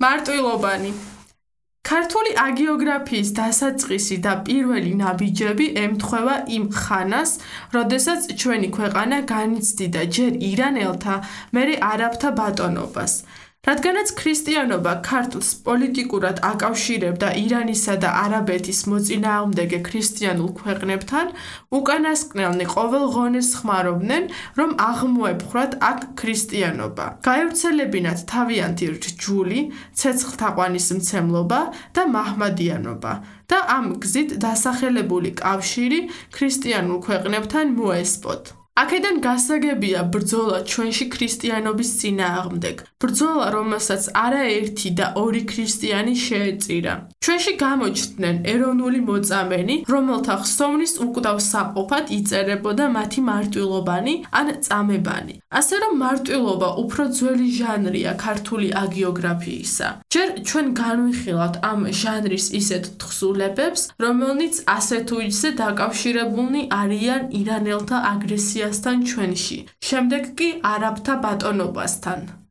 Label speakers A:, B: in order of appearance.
A: მარტვილობანი ქართული აგიოგრაფიის დასაწყისი და პირველი ნაბიჯები ემთხვევა იმ ხანას, როდესაც ჩვენი ქვეყანა განიცდიდა ჯერ ირანელთა, მერე არაბთა ბატონობას. რადგანაც ქრისტიანობა ქართლს პოლიტიკურად აკავშირებდა ირანისა და არაბეთის მოწინააღმდეგე ქრისტიანულ ქვეყნებთან, უკანასკნელნი ყოველ ღონეს ხმარობდნენ, რომ აღმოეპყრათ აქ ქრისტიანობა. გაევრცელებინათ თავიანთი რჯული, ცეცხლთაყვანისმცემლობა და მაჰმადიანობა და ამ გზით დასახელებული კავშირი ქრისტიანულ ქვეყნებთან მოესპოთ. აქედან გასაგებია ბრძოლა ჩვენში ქრისტიანობის წინააღმდეგ, ბრძოლა, რომელსაც არაერთი და ორი ქრისტიანი შეეწირა. ჩვენში გამოჩნდნენ ეროვნული მოწამენი, რომელთა ხსოვნის უკვდავ საყოფად იწერებოდა მათი მარტვილობანი ან წამებანი. ასე რომ მარტვილობა უფრო ძველი ჟანრია ქართული აგიოგრაფიისა. ჯერ ჩვენ განვიხილავთ ამ ჟანრის ისეთ თხზულებებს, რომელნიც ასე თუ ისე დაკავშირებულნი არიან ირანელთა აგრესიასთან ჩვენში, შემდეგ კი არაბთა ბატონობასთან.